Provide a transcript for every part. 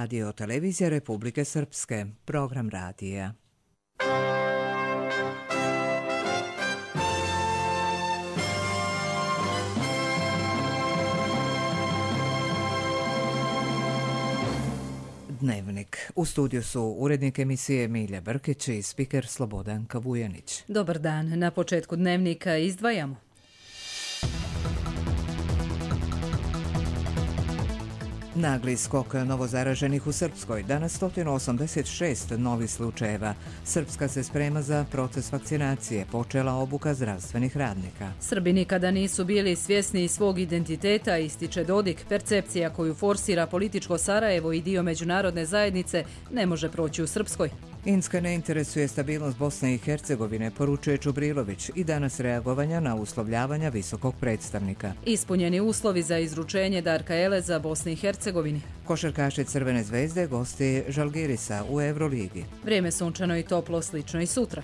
Radio Televizija Republike Srpske, program radija. Dnevnik. U studiju su urednik emisije Emilija Brkić i spiker Slobodan Kavujanić. Dobar dan. Na početku dnevnika izdvajamo. Nagli skok novozaraženih u Srpskoj. Danas 186 novih slučajeva. Srpska se sprema za proces vakcinacije. Počela obuka zdravstvenih radnika. Srbi nikada nisu bili svjesni svog identiteta, ističe Dodik. Percepcija koju forsira političko Sarajevo i dio međunarodne zajednice ne može proći u Srpskoj. Inska ne interesuje stabilnost Bosne i Hercegovine, poručuje Čubrilović, i danas reagovanja na uslovljavanja visokog predstavnika. Ispunjeni uslovi za izručenje Darka Eleza Bosni i Hercegovini. Košarkaši Crvene zvezde gosti Žalgirisa u Euroligi. Vrijeme sunčano i toplo, slično i sutra.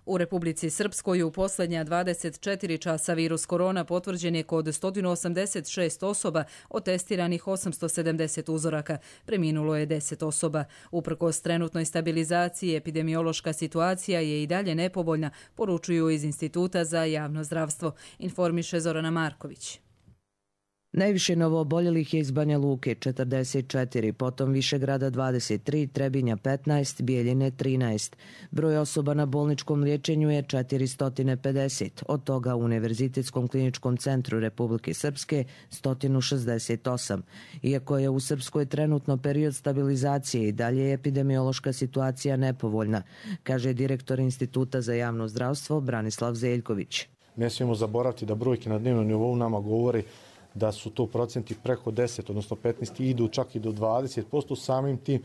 U Republici Srpskoj u posljednja 24 časa virus korona potvrđen je kod 186 osoba, od testiranih 870 uzoraka. Preminulo je 10 osoba. Uprkos trenutnoj stabilizaciji, epidemiološka situacija je i dalje nepovoljna, poručuju iz Instituta za javno zdravstvo, informiše Zorana Marković. Najviše novooboljelih je iz Banja Luke 44, potom Višegrada 23, Trebinja 15, Bijeljine 13. Broj osoba na bolničkom liječenju je 450, od toga u Univerzitetskom kliničkom centru Republike Srpske 168. Iako je u Srpskoj trenutno period stabilizacije i dalje je epidemiološka situacija nepovoljna, kaže direktor Instituta za javno zdravstvo Branislav Zeljković. Ne smijemo zaboraviti da brojke na dnevnom nivou nama govori da su to procenti preko 10, odnosno 15, idu čak i do 20%, samim tim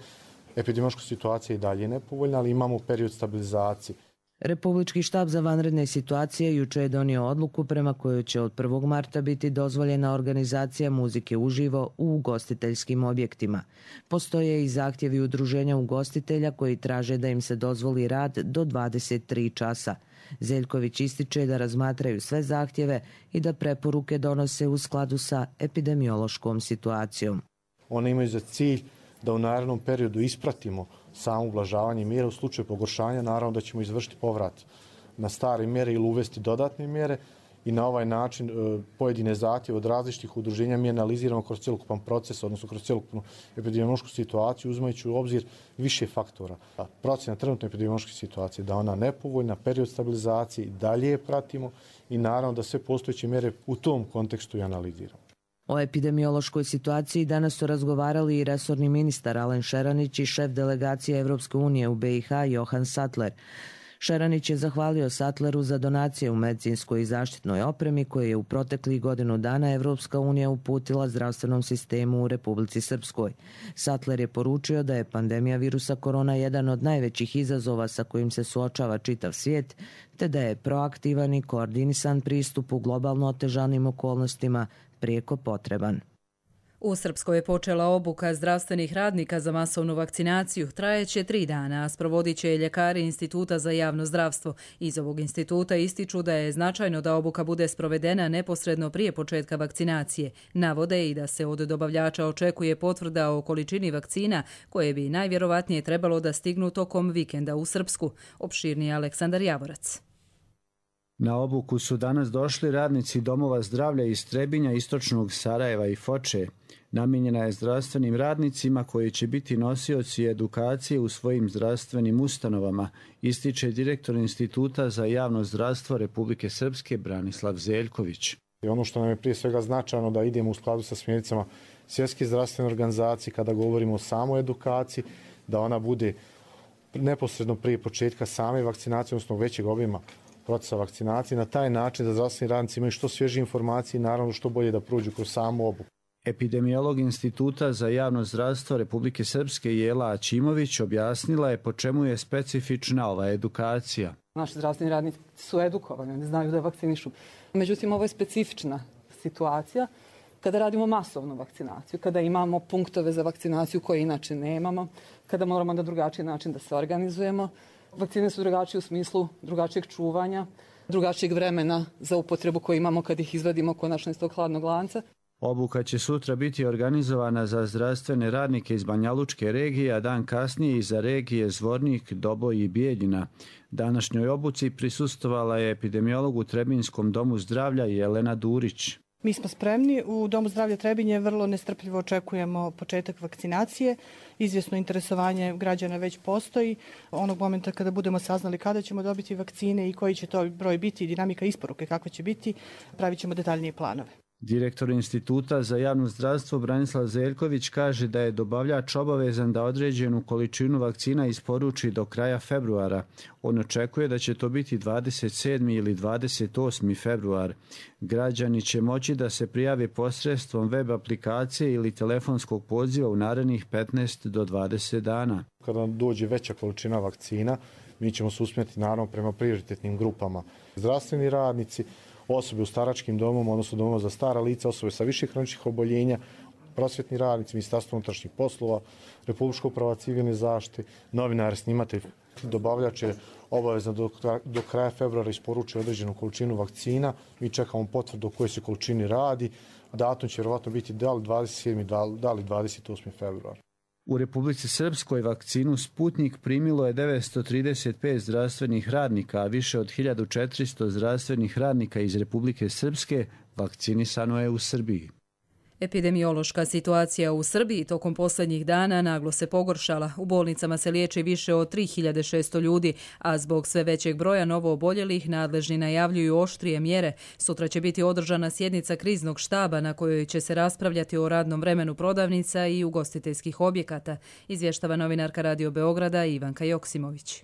epidemiološka situacija i dalje nepovoljna, ali imamo period stabilizacije. Republički štab za vanredne situacije juče je donio odluku prema kojoj će od 1. marta biti dozvoljena organizacija muzike uživo u ugostiteljskim objektima. Postoje i zahtjevi udruženja ugostitelja koji traže da im se dozvoli rad do 23 časa. Zeljković ističe da razmatraju sve zahtjeve i da preporuke donose u skladu sa epidemiološkom situacijom. One imaju za cilj da u narednom periodu ispratimo samo ublažavanje mjera. U slučaju pogoršanja naravno da ćemo izvršiti povrat na stare mjere ili uvesti dodatne mjere i na ovaj način pojedine zahtjeve od različitih udruženja mi analiziramo kroz cjelokupan proces, odnosno kroz cjelokupnu epidemiološku situaciju, uzimajući u obzir više faktora. Procjena trenutne epidemiološke situacije da ona nepovoljna, period stabilizacije i dalje je pratimo i naravno da sve postojeće mjere u tom kontekstu i analiziramo. O epidemiološkoj situaciji danas su razgovarali i resorni ministar Alen Šeranić i šef delegacije Evropske unije u BiH Johan Sattler. Šeranić je zahvalio Sattleru za donacije u medicinskoj i zaštitnoj opremi koje je u proteklih godinu dana Evropska unija uputila zdravstvenom sistemu u Republici Srpskoj. Sattler je poručio da je pandemija virusa korona jedan od najvećih izazova sa kojim se suočava čitav svijet, te da je proaktivan i koordinisan pristup u globalno otežanim okolnostima prijeko potreban. U Srpskoj je počela obuka zdravstvenih radnika za masovnu vakcinaciju. Trajeće 3 dana, a sprovodit će ljekari Instituta za javno zdravstvo. Iz ovog instituta ističu da je značajno da obuka bude sprovedena neposredno prije početka vakcinacije. Navode i da se od dobavljača očekuje potvrda o količini vakcina koje bi najvjerovatnije trebalo da stignu tokom vikenda u Srpsku. Opširniji Aleksandar Javorac. Na obuku su danas došli radnici domova zdravlja iz Trebinja, istočnog Sarajeva i Foče. Namijenjena je zdravstvenim radnicima koji će biti nosioci edukacije u svojim zdravstvenim ustanovama, ističe direktor Instituta za javno zdravstvo Republike Srpske Branislav Zeljković. Ono što nam je prije svega značajno da idemo u skladu sa smjernicama Svjetske zdravstvene organizacije kada govorimo o samoj edukaciji, da ona bude neposredno prije početka same vakcinacije, odnosno većeg obima procesa vakcinacije, na taj način da zdravstveni radnici imaju što svježe informacije i naravno što bolje da prođu kroz samu obuku. Epidemiolog Instituta za javno zdravstvo Republike Srpske Jela Ačimović objasnila je po čemu je specifična ova edukacija. Naši zdravstveni radnici su edukovani, oni znaju da vakcinišu. Međutim, ovo je specifična situacija kada radimo masovnu vakcinaciju, kada imamo punktove za vakcinaciju koje inače nemamo, kada moramo na drugačiji način da se organizujemo. Vakcine su drugačije u smislu drugačijeg čuvanja, drugačijeg vremena za upotrebu koju imamo kad ih izvadimo konačno iz tog hladnog lanca. Obuka će sutra biti organizovana za zdravstvene radnike iz Banjalučke regije, a dan kasnije i za regije Zvornik, Doboj i Bijeljina. Današnjoj obuci prisustvovala je epidemiolog u Trebinskom domu zdravlja Jelena Durić. Mi smo spremni. U Domu zdravlja Trebinje vrlo nestrpljivo očekujemo početak vakcinacije. Izvjesno interesovanje građana već postoji. Onog momenta kada budemo saznali kada ćemo dobiti vakcine i koji će to broj biti i dinamika isporuke kakva će biti, pravit ćemo detaljnije planove. Direktor Instituta za javno zdravstvo Branislav Zeljković kaže da je dobavljač obavezan da određenu količinu vakcina isporuči do kraja februara. On očekuje da će to biti 27. ili 28. februar. Građani će moći da se prijave posredstvom web aplikacije ili telefonskog poziva u narednih 15 do 20 dana. Kada nam dođe veća količina vakcina, mi ćemo se usmjeriti naravno prema prioritetnim grupama. Zdravstveni radnici, osobe u staračkim domom, odnosno domova za stara lica, osobe sa viših hroničnih oboljenja, prosvjetni radnici, Ministarstvo unutrašnjih poslova, Republička uprava civilne zaštite, novinari, snimatelj, dobavljač je obavezno do kraja februara isporuči određenu količinu vakcina. Mi čekamo potvrdu o kojoj se količini radi. Datum će vjerovatno biti da li 27. da li 28. februar. U Republici Srpskoj vakcinu Sputnik primilo je 935 zdravstvenih radnika, a više od 1400 zdravstvenih radnika iz Republike Srpske vakcinisano je u Srbiji. Epidemiološka situacija u Srbiji tokom posljednjih dana naglo se pogoršala. U bolnicama se liječi više od 3600 ljudi, a zbog sve većeg broja novooboljelih nadležni najavljuju oštrije mjere. Sutra će biti održana sjednica kriznog štaba na kojoj će se raspravljati o radnom vremenu prodavnica i ugostiteljskih objekata, izvještava novinarka Radio Beograda Ivanka Joksimović.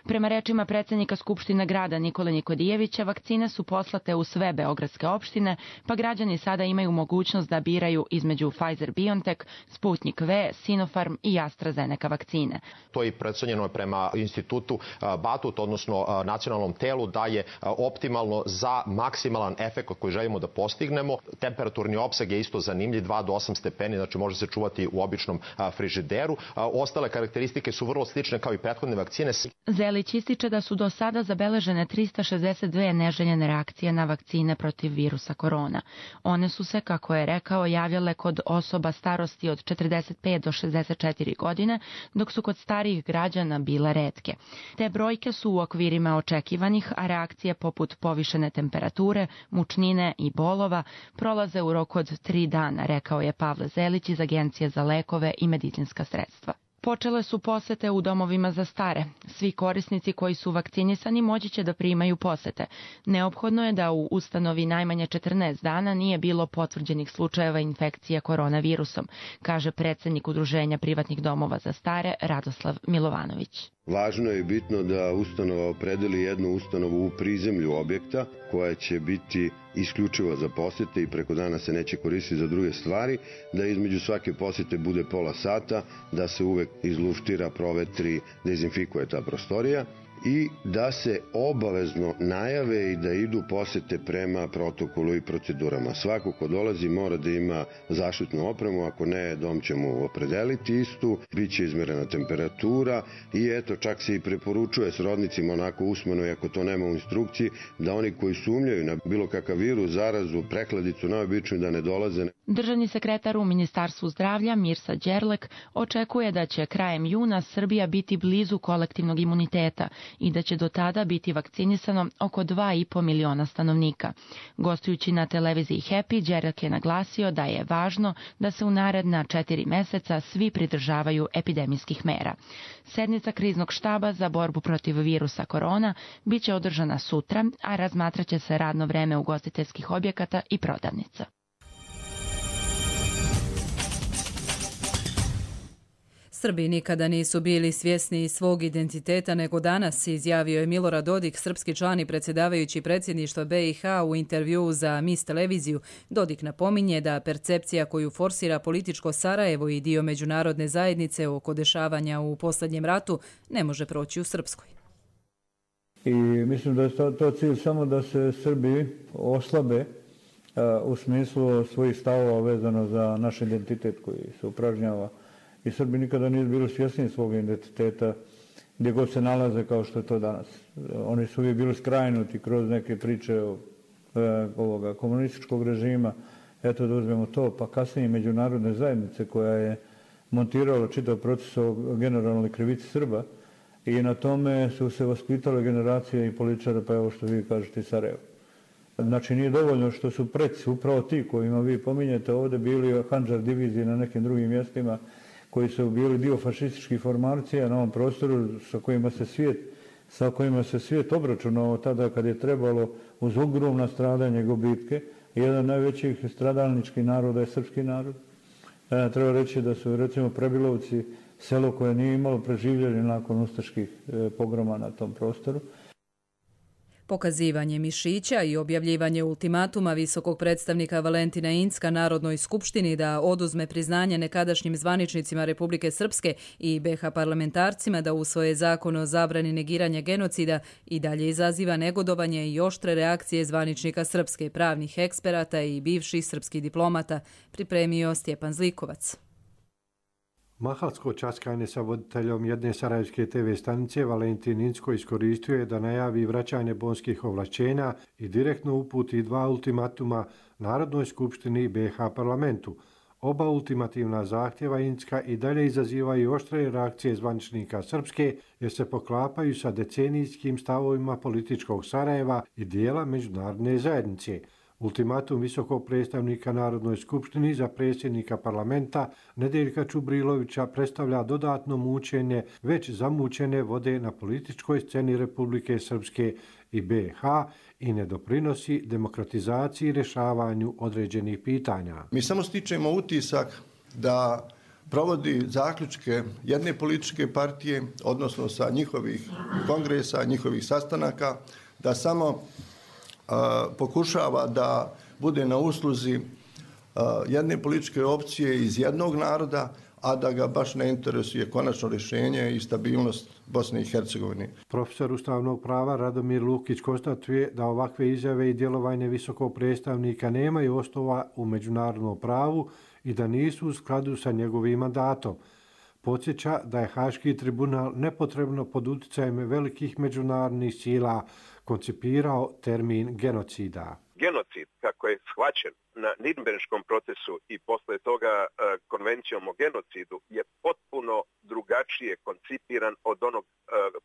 Prema rečima predsjednika Skupštine grada Nikole Nikodijevića, vakcine su poslate u sve beogradske opštine, pa građani sada imaju mogućnost da biraju između Pfizer-BioNTech, Sputnik V, Sinopharm i AstraZeneca vakcine. To je predstavljeno prema institutu Batut, odnosno nacionalnom telu, da je optimalno za maksimalan efekt koji želimo da postignemo. Temperaturni opseg je isto zanimljiv, 2 do 8 stepeni, znači može se čuvati u običnom frižideru. Ostale karakteristike su vrlo slične kao i prethodne vakcine. Zelić ističe da su do sada zabeležene 362 neželjene reakcije na vakcine protiv virusa korona. One su se, kako je rekao, javljale kod osoba starosti od 45 do 64 godine, dok su kod starijih građana bile retke. Te brojke su u okvirima očekivanih, a reakcije poput povišene temperature, mučnine i bolova prolaze u roku od 3 dana, rekao je Pavle Zelić iz Agencije za lekove i medicinska sredstva. Počele su posete u domovima za stare. Svi korisnici koji su vakcinisani moći će da primaju posete. Neophodno je da u ustanovi najmanje 14 dana nije bilo potvrđenih slučajeva infekcije koronavirusom, kaže predsjednik Udruženja privatnih domova za stare Radoslav Milovanović. Važno je bitno da ustanova opredeli jednu ustanovu u prizemlju objekta koja će biti isključivo za posete i preko dana se neće koristiti za druge stvari, da između svake posete bude pola sata, da se uvek izluštira, provetri, dezinfikuje ta prostorija i da se obavezno najave i da idu posete prema protokolu i procedurama. Svako ko dolazi mora da ima zaštitnu opremu, ako ne, dom će mu opredeliti istu, bit će izmerena temperatura i eto, čak se i preporučuje srodnicima onako usmeno, i ako to nema u instrukciji, da oni koji sumnjaju na bilo kakav virus, zarazu, prehladicu, najobičniju da ne dolaze. Državni sekretar u Ministarstvu zdravlja Mirsa Đerlek očekuje da će krajem juna Srbija biti blizu kolektivnog imuniteta i da će do tada biti vakcinisano oko 2,5 miliona stanovnika. Gostujući na televiziji Happy, Đerlek je naglasio da je važno da se u naredna 4 meseca svi pridržavaju epidemijskih mera. Sednica kriznog štaba za borbu protiv virusa korona biće održana sutra, a razmatraće se radno vreme ugostiteljskih objekata i prodavnica. Srbi nikada nisu bili svjesni svog identiteta nego danas, izjavio je Milorad Dodik, srpski član i predsjedavajući predsjedništva BiH u intervjuu za MIS televiziju. Dodik napominje da percepcija koju forsira političko Sarajevo i dio međunarodne zajednice oko dešavanja u posljednjem ratu ne može proći u Srpskoj. I mislim da je to cilj samo da se Srbi oslabe u smislu svojih stavova vezano za naš identitet koji se upražnjava. I Srbi nikada nisu bili svjesni svog identiteta, gdje god se nalaze kao što je to danas. Oni su uvijek bili skrajnuti kroz neke priče ovoga komunističkog režima. Eto da uzmemo to, pa kasnije međunarodne zajednice koja je montirala čitav proces o generalnoj krivici Srba i na tome su se vaspitale generacije i političara, pa evo što vi kažete i Sarajevo. Znači nije dovoljno što su preci, upravo ti kojima vi pominjete ovdje bili Handžar divizije na nekim drugim mjestima koji su bili dio fašističkih formacija na ovom prostoru sa kojima se svijet obračunao tada kad je trebalo uz ogromna stradanja i gubitke. Jedan od najvećih stradalničkih naroda je srpski narod. Treba reći da su recimo Prebilovci selo koje nije imalo preživljenje nakon ustaških pogroma na tom prostoru. Pokazivanje mišića i objavljivanje ultimatuma visokog predstavnika Valentina Incka Narodnoj skupštini da oduzme priznanje nekadašnjim zvaničnicima Republike Srpske i BiH parlamentarcima da usvoje zakon o zabrani negiranja genocida i dalje izaziva negodovanje i oštre reakcije zvaničnika Srpske, pravnih eksperata i bivših srpskih diplomata, pripremio Stjepan Zlikovac. Mahalsko časkanje sa voditeljom jedne sarajevske TV stanice Valentin Incko iskoristio je da najavi vraćanje bonskih ovlašćenja i direktno uputi 2 ultimatuma Narodnoj skupštini i BiH parlamentu. Oba ultimativna zahtjeva Incka i dalje izazivaju oštre reakcije zvaničnika Srpske jer se poklapaju sa decenijskim stavovima političkog Sarajeva i dijela međunarodne zajednice. Ultimatum visokog predstavnika Narodnoj skupštini za predsjednika parlamenta Nedeljka Čubrilovića predstavlja dodatno mučenje već zamučene vode na političkoj sceni Republike Srpske i BiH i ne doprinosi demokratizaciji i rješavanju određenih pitanja. Mi samo stičemo utisak da provodi zaključke jedne političke partije, odnosno sa njihovih kongresa, njihovih sastanaka, da samo pokušava da bude na usluzi jedne političke opcije iz jednog naroda, a da ga baš ne interesuje konačno rješenje i stabilnost Bosne i Hercegovine. Profesor ustavnog prava Radomir Lukić konstatuje da ovakve izjave i djelovanje visokog predstavnika nemaju osnova u međunarodnom pravu i da nisu u skladu sa njegovim mandatom. Podsjeća da je Haški tribunal nepotrebno pod utjecajem velikih međunarodnih sila koncipirao termin genocida. Genocid, kako je shvaćen na Nirnberškom procesu i posle toga konvencijom o genocidu, je potpuno drugačije koncipiran od onog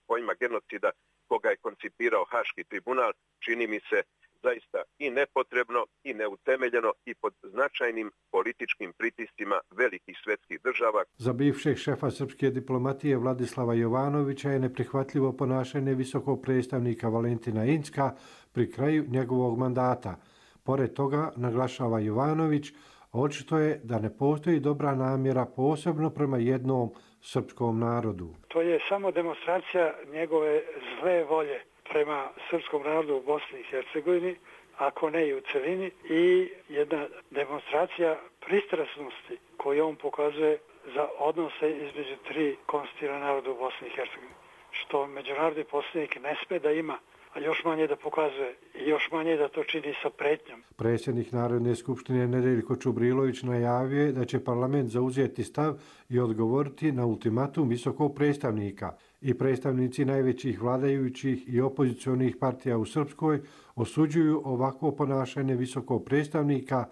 pojma genocida koga je koncipirao Haški tribunal. Čini mi se zaista i nepotrebno i neutemeljeno i pod značajnim političkim pritiscima velikih svjetskih država. Za bivšeg šefa srpske diplomatije Vladislava Jovanovića je neprihvatljivo ponašanje visokog predstavnika Valentina Incka pri kraju njegovog mandata. Pored toga, naglašava Jovanović, očito je da ne postoji dobra namjera posebno prema jednom srpskom narodu. To je samo demonstracija njegove zle volje prema srpskom narodu u Bosni i Hercegovini, ako ne i u celini, i jedna demonstracija pristrasnosti koju on pokazuje za odnose između 3 konstitutivna naroda u Bosni i Hercegovini, što međunarodni poslanik ne sme da ima, a još manje da pokazuje i još manje da to čini sa pretnjom. Predsjednik Narodne skupštine Nedeljko Čubrilović najavio je da će parlament zauzeti stav i odgovoriti na ultimatum visokog predstavnika. I predstavnici najvećih vladajućih i opozicionih partija u Srpskoj osuđuju ovakvo ponašanje visokog predstavnika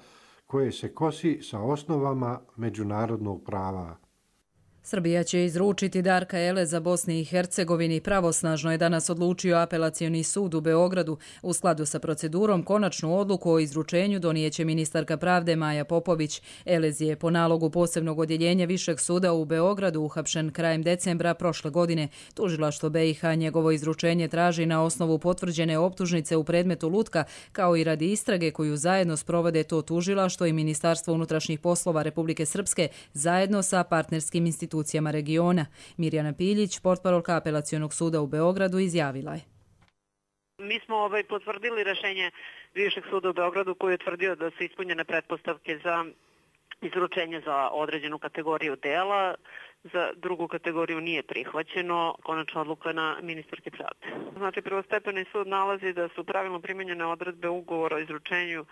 koje se kosi sa osnovama međunarodnog prava. Srbija će izručiti Darka Eleza Bosni i Hercegovini. Pravosnažno je danas odlučio Apelacioni sud u Beogradu. U skladu sa procedurom konačnu odluku o izručenju donijeće ministarka pravde Maja Popović. Elez je po nalogu posebnog odjeljenja Višeg suda u Beogradu uhapšen krajem decembra prošle godine. Tužilaštvo BiH njegovo izručenje traži na osnovu potvrđene optužnice u predmetu Lutka, kao i radi istrage koju zajedno sprovode to tužilaštvo i Ministarstvo unutrašnjih poslova Republike Srpske zajedno sa partnerskim institucijama regiona. Mirjana Piljić, portparolka Apelacionog suda u Beogradu, izjavila je. Mi smo potvrdili rješenje Višeg suda u Beogradu koji je tvrdio da su ispunjene pretpostavke za izručenje za određenu kategoriju dela. Za drugu kategoriju nije prihvaćeno. Konačna odluka na ministarke pravde. Znači, prvostepeni sud nalazi da su pravilno primjenjene odredbe ugovora o izručenju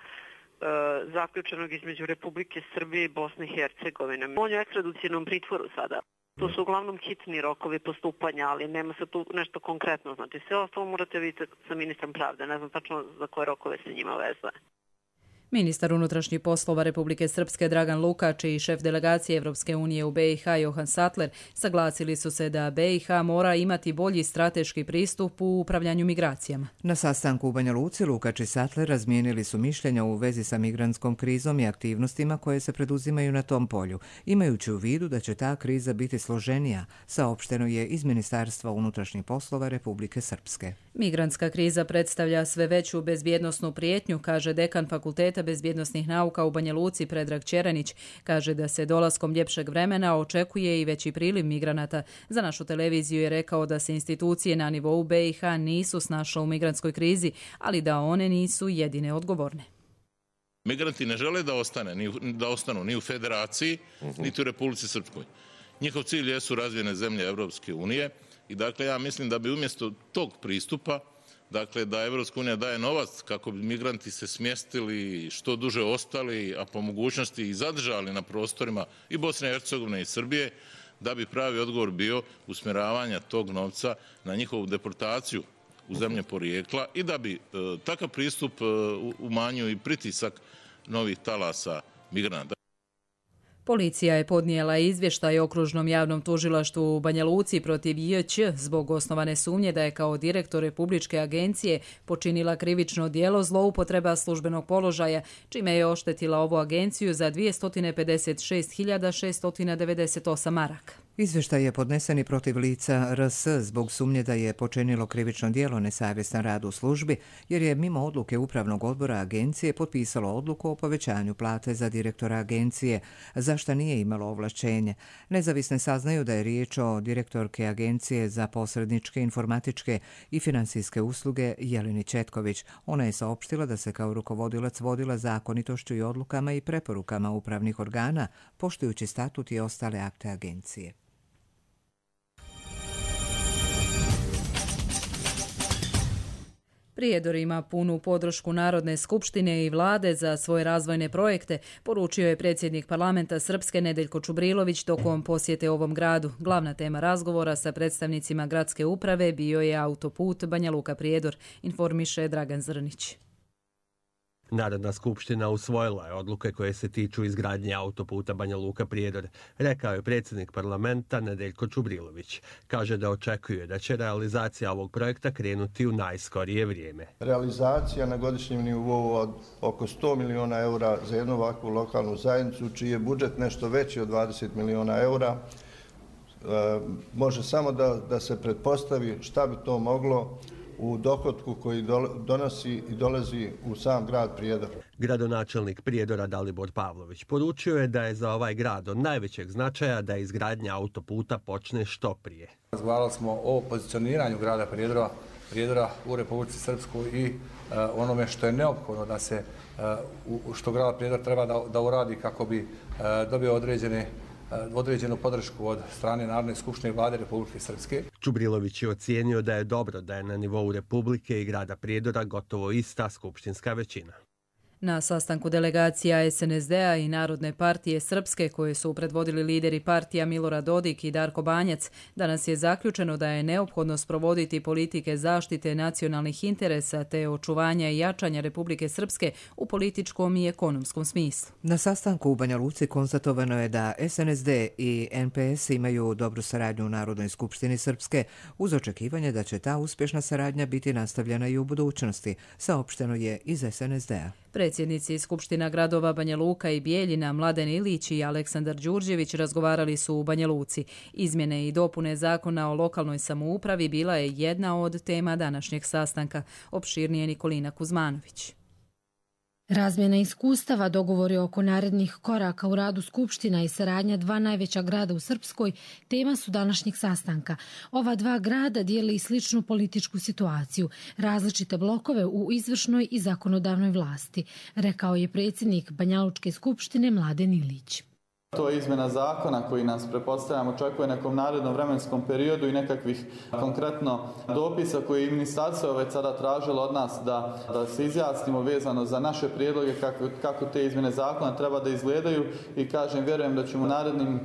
zaključenog između Republike Srbije i Bosne i Hercegovine. On je u ekstradicionom pritvoru sada. To su uglavnom hitni rokovi postupanja, ali nema se tu nešto konkretno. Znači sve ostalo morate vidjeti sa ministrom pravde. Ne znam tačno za koje rokove se njima vezuje. Ministar unutrašnjih poslova Republike Srpske Dragan Lukač i šef delegacije Evropske unije u BiH Johan Sattler saglasili su se da BiH mora imati bolji strateški pristup u upravljanju migracijama. Na sastanku u Banja Luci Lukač i Sattler razmijenili su mišljenja u vezi sa migrantskom krizom i aktivnostima koje se preduzimaju na tom polju, imajući u vidu da će ta kriza biti složenija, saopšteno je iz Ministarstva unutrašnjih poslova Republike Srpske. Migrantska kriza predstavlja sve veću bezbjednosnu prijetnju, kaže dekan Fakulteta bezbjednosnih nauka u Banja Luci Predrag Ćeranić. Kaže da se dolaskom ljepšeg vremena očekuje i veći priliv migranata. Za našu televiziju je rekao da se institucije na nivou BiH nisu snašle u migrantskoj krizi, ali da one nisu jedine odgovorne. Migranti ne žele da ostanu ni u Federaciji, niti u Republici Srpskoj. Njihov cilj jesu razvijene zemlje Evropske unije i dakle ja mislim da bi umjesto tog pristupa, dakle da Evropska unija daje novac kako bi migranti se smjestili, što duže ostali, a po mogućnosti i zadržali na prostorima i Bosne i Hercegovine i Srbije, da bi pravi odgovor bio usmjeravanja tog novca na njihovu deportaciju u zemlje porijekla i da bi takav pristup umanjio i pritisak novih talasa migranata. Policija je podnijela izvještaj okružnom javnom tužilaštvu u Banja Luci protiv JČ zbog osnovane sumnje da je kao direktor Republičke agencije počinila krivično djelo zloupotreba službenog položaja, čime je oštetila ovu agenciju za 256.698 maraka. Izvještaj je podnesen i protiv lica RS zbog sumnje da je počinilo krivično djelo nesavjestan rad u službi, jer je mimo odluke Upravnog odbora agencije potpisalo odluku o povećanju plate za direktora agencije, za što nije imalo ovlašćenje. Nezavisne saznaju da je riječ o direktorke agencije za posredničke, informatičke i finansijske usluge Jeleni Četković. Ona je saopštila da se kao rukovodilac vodila zakonitošću i odlukama i preporukama upravnih organa, poštujući statut i ostale akte agencije. Prijedor ima punu podršku Narodne skupštine i vlade za svoje razvojne projekte, poručio je predsjednik parlamenta Srpske Nedeljko Čubrilović tokom posjete ovom gradu. Glavna tema razgovora sa predstavnicima gradske uprave bio je autoput Banja Luka Prijedor, informiše Dragan Zrnić. Narodna skupština usvojila je odluke koje se tiču izgradnje autoputa Banja Luka Prijedor, rekao je predsjednik parlamenta Nedeljko Čubrilović. Kaže da očekuje da će realizacija ovog projekta krenuti u najskorije vrijeme. Realizacija na godišnjem nivou od oko 100 miliona eura za jednu ovakvu lokalnu zajednicu, čiji je budžet nešto veći od 20 miliona eura, može samo da se pretpostavi šta bi to moglo u dohotku koji donosi i dolazi u sam grad Prijedor. Gradonačelnik Prijedora Dalibor Pavlović poručio je da je za ovaj grad od najvećeg značaja da izgradnja autoputa počne što prije. Razgovarali smo o pozicioniranju grada Prijedora u Republici Srpskoj i onome što je neophodno da se, što grad Prijedor treba da uradi kako bi dobio određenu podršku od strane Narodne skupštine i vlade Republike Srpske. Čubrilović je ocijenio da je dobro da je na nivou Republike i grada Prijedora gotovo ista skupštinska većina. Na sastanku delegacija SNSD-a i Narodne partije Srpske, koje su predvodili lideri partija Milorad Dodik i Darko Banjac, danas je zaključeno da je neophodno sprovoditi politike zaštite nacionalnih interesa te očuvanja i jačanja Republike Srpske u političkom i ekonomskom smislu. Na sastanku u Banja Luci konstatovano je da SNSD i NPS imaju dobru saradnju u Narodnoj skupštini Srpske, uz očekivanje da će ta uspješna saradnja biti nastavljena i u budućnosti, saopšteno je iz SNSD-a. Predsjednici Skupština gradova Banja Luka i Bijeljina, Mladen Ilić i Aleksandar Đurđević razgovarali su u Banja Luci. Izmjene i dopune zakona o lokalnoj samoupravi bila je jedna od tema današnjeg sastanka, opširnije Nikolina Kuzmanović. Razmjena iskustava, dogovori oko narednih koraka u radu Skupština i saradnja dva najveća grada u Srpskoj tema su današnjeg sastanka. Ova dva grada dijele i sličnu političku situaciju, različite blokove u izvršnoj i zakonodavnoj vlasti, rekao je predsjednik Banjalučke skupštine Mladen Ilić. To je izmjena zakona koji nas, pretpostavljam, očekuje nekom narednom vremenskom periodu i nekakvih konkretno dopisa koji je ministarstvo već sada tražilo od nas da se izjasnimo vezano za naše prijedloge kako te izmjene zakona treba da izgledaju i kažem, vjerujem da ćemo u narednim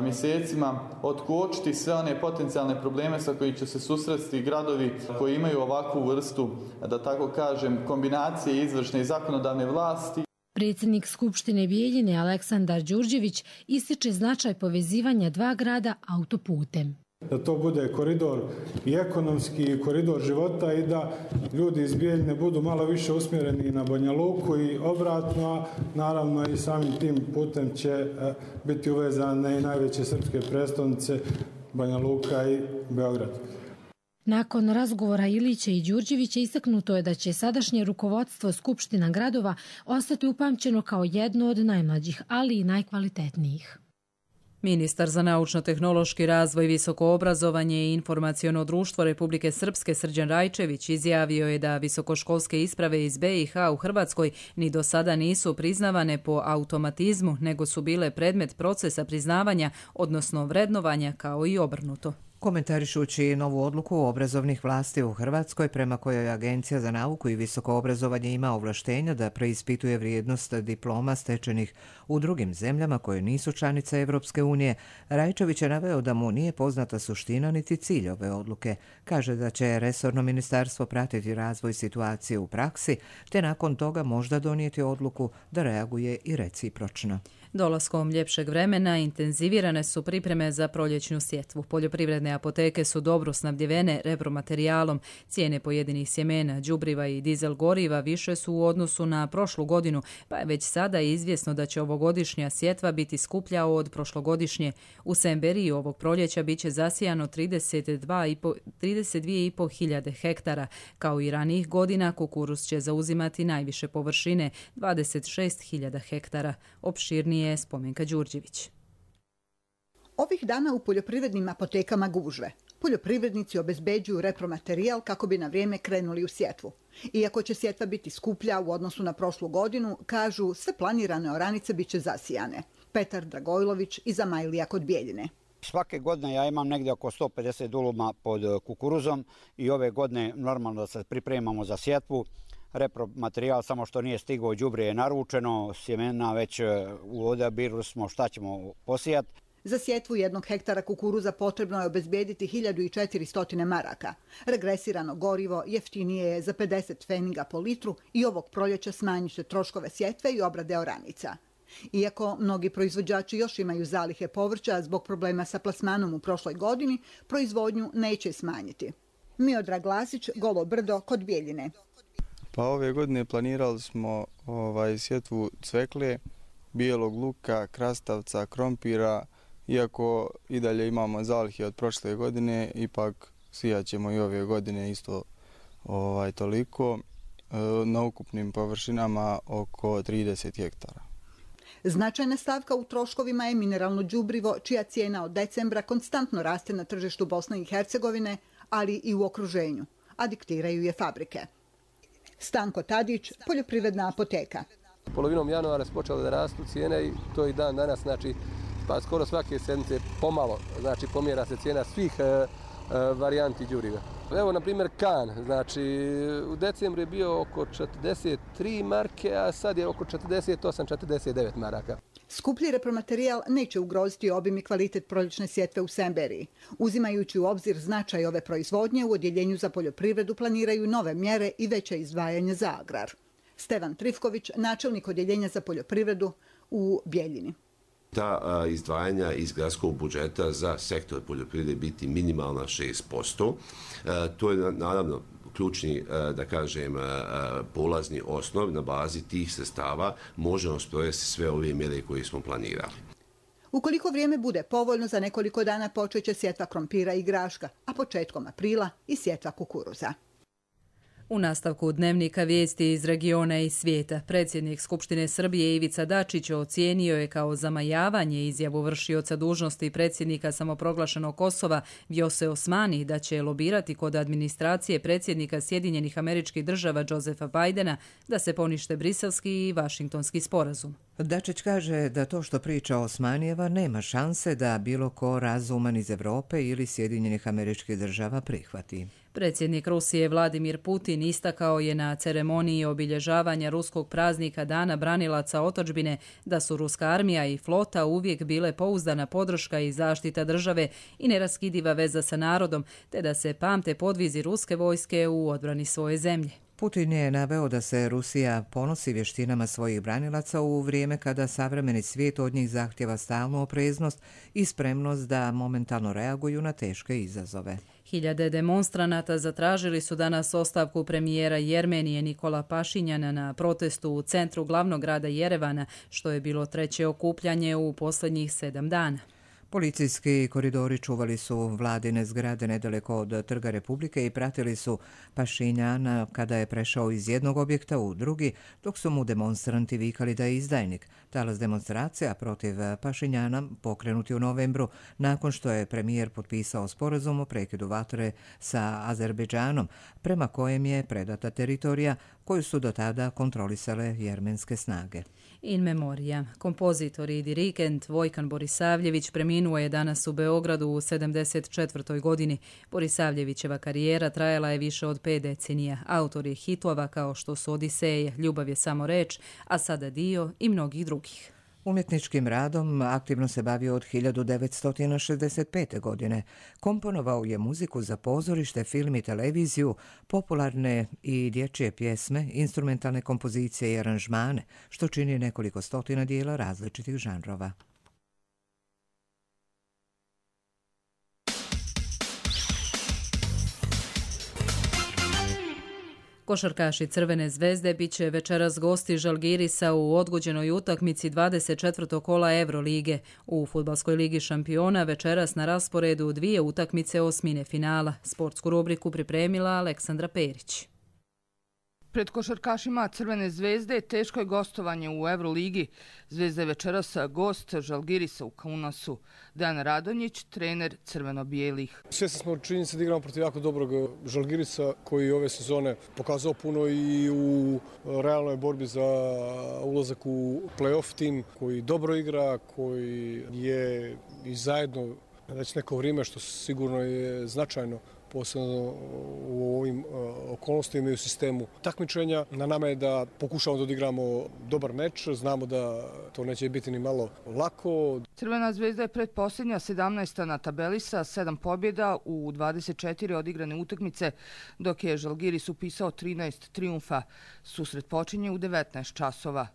mjesecima otkočiti sve one potencijalne probleme sa koji će se susresti gradovi koji imaju ovakvu vrstu, da tako kažem, kombinacije izvršne i zakonodavne vlasti. Predsjednik Skupštine Bijeljine Aleksandar Đurđević ističe značaj povezivanja dva grada autoputem. Da to bude koridor i ekonomski i koridor života i da ljudi iz Bijeljine budu malo više usmjereni na Banja Luku i obratno, a naravno i samim tim putem će biti uvezane i najveće srpske prestonice Banja Luka i Beograd. Nakon razgovora Ilića i Đurđevića istaknuto je da će sadašnje rukovodstvo Skupština gradova ostati upamćeno kao jedno od najmlađih, ali i najkvalitetnijih. Ministar za naučno-tehnološki razvoj, visoko obrazovanje i informaciono društvo Republike Srpske Srđan Rajčević izjavio je da visokoškolske isprave iz BiH u Hrvatskoj ni do sada nisu priznavane po automatizmu, nego su bile predmet procesa priznavanja, odnosno vrednovanja, kao i obrnuto. Komentarišući novu odluku obrazovnih vlasti u Hrvatskoj prema kojoj Agencija za nauku i visoko obrazovanje ima ovlaštenja da preispituje vrijednost diploma stečenih u drugim zemljama koje nisu članice Evropske unije, Rajčević je naveo da mu nije poznata suština niti cilj ove odluke. Kaže da će resorno ministarstvo pratiti razvoj situacije u praksi, te nakon toga možda donijeti odluku da reaguje i recipročno. Dolaskom ljepšeg vremena intenzivirane su pripreme za proljećnu sjetvu. Poljoprivredne apoteke su dobro snabdjevene repromaterijalom. Cijene pojedinih sjemena, đubriva i dizel goriva više su u odnosu na prošlu godinu, pa je već sada izvjesno da će ovogodišnja sjetva biti skuplja od prošlogodišnje. U Semberiji ovog proljeća biće zasijano 32.500 hektara. Kao i ranijih godina, kukuruz će zauzimati najviše površine, 26.000 hektara. Opširnije je Spomenka Đurđević. Ovih dana u poljoprivrednim apotekama gužve. Poljoprivrednici obezbeđuju repromaterijal kako bi na vrijeme krenuli u sjetvu. Iako će sjetva biti skuplja u odnosu na prošlu godinu, kažu sve planirane oranice biće zasijane. Petar Dragojlović iz Amajlija kod Bijeljine. Svake godine ja imam negdje oko 150 duluma pod kukuruzom i ove godine normalno da se pripremamo za sjetvu. Repromaterijal samo što nije stigao, đubrivo je naručeno, sjemena već u odabiru smo šta ćemo posijati. Za sjetvu 1 hektara kukuruza potrebno je obezbijediti 1400 maraka. Regresirano gorivo jeftinije je za 50 pfeniga po litru i ovog proljeća smanjit će troškove sjetve i obrade oranica. Iako mnogi proizvođači još imaju zalihe povrća zbog problema sa plasmanom u prošloj godini, proizvodnju neće smanjiti. Miodrag Glasić, Golo Brdo kod Bijeljine. Pa ove godine planirali smo sjetvu cvekle, bijelog luka, krastavca, krompira. Iako i dalje imamo zalihe od prošle godine, ipak sijat ćemo i ove godine isto toliko, na ukupnim površinama oko 30 hektara. Značajna stavka u troškovima je mineralno đubrivo, čija cijena od decembra konstantno raste na tržištu Bosne i Hercegovine, ali i u okruženju, a diktiraju je fabrike. Stanko Tadić, poljoprivredna apoteka. Polovinom januara su počele da rastu cijene i to i dan danas, znači pa skoro svake sedmice pomalo, znači pomjera se cijena svih varijanti đubriva. Evo, na primjer, kan, znači u decembru je bio oko 43 marke, a sad je oko 48-49 maraka. Skuplji repromaterijal neće ugroziti obim i kvalitet proljećne sjetve u Semberiji. Uzimajući u obzir značaj ove proizvodnje, u Odjeljenju za poljoprivredu planiraju nove mjere i veće izdvajanje za agrar. Stevan Trifković, načelnik Odjeljenja za poljoprivredu u Bijeljini. Ta izdvajanja iz gradskog budžeta za sektor poljoprivrede biti minimalna 6%. To je naravno ključni, da kažem, polazni osnov. Na bazi tih sredstava možemo sprovesti sve ove mjere koje smo planirali. Ukoliko vrijeme bude povoljno, za nekoliko dana počeće sjetva krompira i graška, a početkom aprila i sjetva kukuruza. U nastavku dnevnika vijesti iz regiona i svijeta, predsjednik Skupštine Srbije Ivica Dačić ocijenio je kao zamajavanje izjavu vršioca dužnosti predsjednika samoproglašenog Kosova Vjose Osmani da će lobirati kod administracije predsjednika Sjedinjenih Američkih Država Josefa Bidena da se ponište briselski i vašingtonski sporazum. Dačić kaže da to što priča Osmanijeva nema šanse da bilo ko razuman iz Europe ili Sjedinjenih Američkih Država prihvati. Predsjednik Rusije Vladimir Putin istakao je na ceremoniji obilježavanja ruskog praznika Dana branilaca otadžbine da su ruska armija i flota uvijek bile pouzdana podrška i zaštita države i neraskidiva veza sa narodom, te da se pamte podvizi ruske vojske u odbrani svoje zemlje. Putin je naveo da se Rusija ponosi vještinama svojih branilaca u vrijeme kada savremeni svijet od njih zahtjeva stalnu opreznost i spremnost da momentalno reaguju na teške izazove. Hiljade demonstranata zatražili su danas ostavku premijera Jermenije Nikola Pašinjana na protestu u centru glavnog grada Jerevana, što je bilo treće okupljanje u posljednjih 7 dana. Policijski koridori čuvali su vladine zgrade nedaleko od Trga Republike i pratili su Pašinjana kada je prešao iz jednog objekta u drugi, dok su mu demonstranti vikali da je izdajnik. Talas demonstracija protiv Pašinjana pokrenuti u novembru nakon što je premijer potpisao sporazum o prekidu vatre sa Azerbejdžanom, prema kojem je predata teritorija koju su do tada kontrolisale jermenske snage. In memoria. Kompozitor i dirigent Vojkan Borisavljević preminuo je danas u Beogradu u 74. godini. Borisavljevićeva karijera trajala je više od 5 decenija. Autor je hitova kao što su Odiseje, Ljubav je samo reč, a sada dio i mnogih drugih. Umjetničkim radom aktivno se bavio od 1965. godine. Komponovao je muziku za pozorište, film i televiziju, popularne i dječje pjesme, instrumentalne kompozicije i aranžmane, što čini nekoliko stotina dijela različitih žanrova. Košarkaši Crvene zvezde bit će večeras gosti Žalgirisa u odgođenoj utakmici 24. kola Evrolige. U Fudbalskoj ligi šampiona večeras na rasporedu 2 utakmice osmine finala. Sportsku rubriku pripremila Aleksandra Perić. Pred košarkašima Crvene zvezde teško je gostovanje u Evroligi. Zvezda je večeras gost Žalgirisa u Kaunasu. Dejan Radonjić, trener crveno-bijelih. Svjesni smo činjenice da igramo protiv jako dobrog Žalgirisa koji ove sezone pokazao puno i u realnoj borbi za ulazak u play-off tim, koji dobro igra, koji je i zajedno već neko vrijeme, što sigurno je značajno, posebno u ovim okolnostima i u sistemu takmičenja. Na nama je da pokušamo da odigramo dobar meč. Znamo da to neće biti ni malo lako. Crvena zvezda je predposljednja 17. na tabeli sa 7 pobjeda u 24 odigrane utakmice, dok je Žalgiris upisao 13 trijumfa. Susret počinje u 19 časova.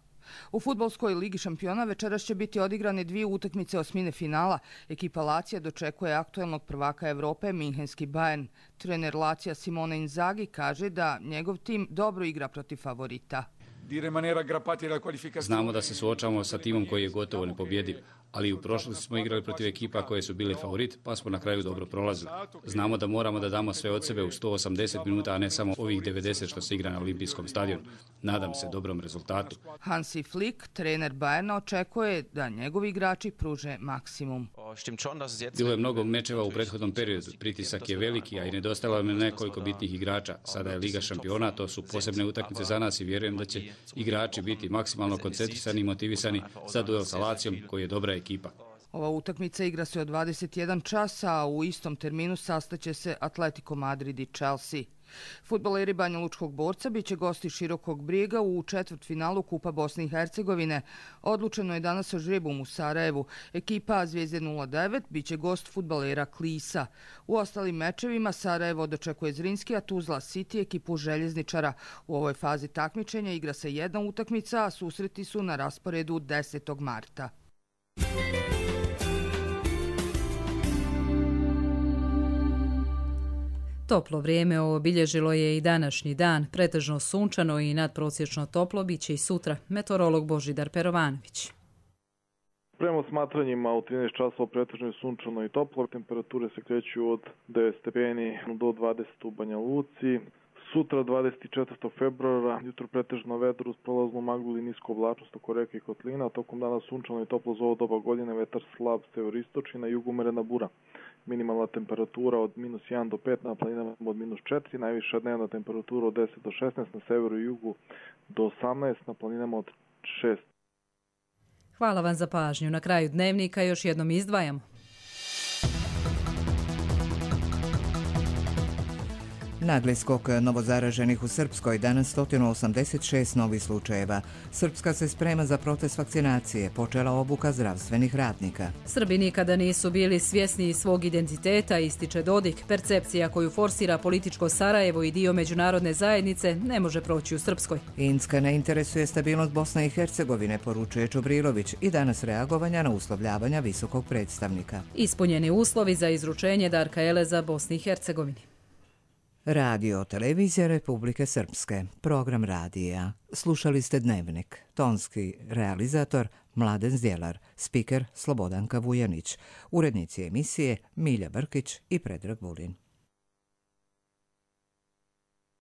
U Fudbalskoj ligi šampiona večeras će biti odigrane 2 utakmice osmine finala. Ekipa Lacija dočekuje aktuelnog prvaka Evrope, Minhenski Bayern. Trener Lacija Simone Inzaghi kaže da njegov tim dobro igra protiv favorita. Znamo da se suočavamo sa timom koji je gotovo nepobjediv, ali u prošlosti smo igrali protiv ekipa koje su bile favorit, pa smo na kraju dobro prolazili. Znamo da moramo da damo sve od sebe u 180 minuta, a ne samo ovih 90 što se igra na Olimpijskom stadionu. Nadam se dobrom rezultatu. Hansi Flick, trener Bayerna, očekuje da njegovi igrači pruže maksimum. Bilo je mnogo mečeva u prethodnom periodu. Pritisak je veliki, a i nedostajalo je nekoliko bitnih igrača. Sada je Liga šampiona, to su posebne utakmice za nas i vjerujem da će igrači biti maksimalno koncentrisani i motivisani za duel sa Lacijom, koji je dobra ekipa. Ova utakmica igra se od 21 časa, a u istom terminu sastaće se Atletico Madrid i Chelsea. Fudbaleri Banja Lučkog Borca biće gosti Širokog Brijega u četvrtfinalu Kupa Bosne i Hercegovine. Odlučeno je danas sa žrebom u Sarajevu. Ekipa Zvijezde 09 biće gost fudbalera Klisa. U ostalim mečevima Sarajevo dočekuje Zrinski, a Tuzla City ekipu Željezničara. U ovoj fazi takmičenja igra se jedna utakmica, a susreti su na rasporedu 10. marta. Toplo vrijeme obilježilo je i današnji dan, pretežno sunčano i nadprosječno toplo biće i sutra. Meteorolog Božidar Perovanović. Prema smatranjima u 13 časova pretežno je sunčano i toplo. Temperature se kreću od 9 stepeni do 20 u Banja Luci, Sutra 24. februara, jutro pretežno vedro uz prolaznu maglu i nisku oblačnost oko reke i kotlina, tokom dana sunčano i toplo za ovo doba godine, vetar slab severistočni, na jugu umerena bura. Minimalna temperatura od -1 do 5, na planinama od -4, najviša dnevna temperatura od 10 do 16, na severu i jugu do 18, na planinama od 6. Hvala vam za pažnju. Na kraju dnevnika još jednom izdvajamo. Nagli skok novozaraženih u Srpskoj, danas 186 novih slučajeva. Srpska se sprema za proces vakcinacije, počela obuka zdravstvenih radnika. Srbi nikada nisu bili svjesni svog identiteta, ističe Dodik. Percepcija koju forsira političko Sarajevo i dio međunarodne zajednice ne može proći u Srpskoj. Inska ne interesuje stabilnost Bosne i Hercegovine, poručuje Čubrilović, i danas reagovanja na uslovljavanja visokog predstavnika. Ispunjeni uslovi za izručenje Darka Eleza Bosni i Hercegovini. Radio Televizija Republike Srpske, program radija. Slušali ste Dnevnik. Tonski realizator Mladen Zdjelar, spiker Slobodanka Vujanić, urednici emisije Milja Brkić i Predrag Vulin.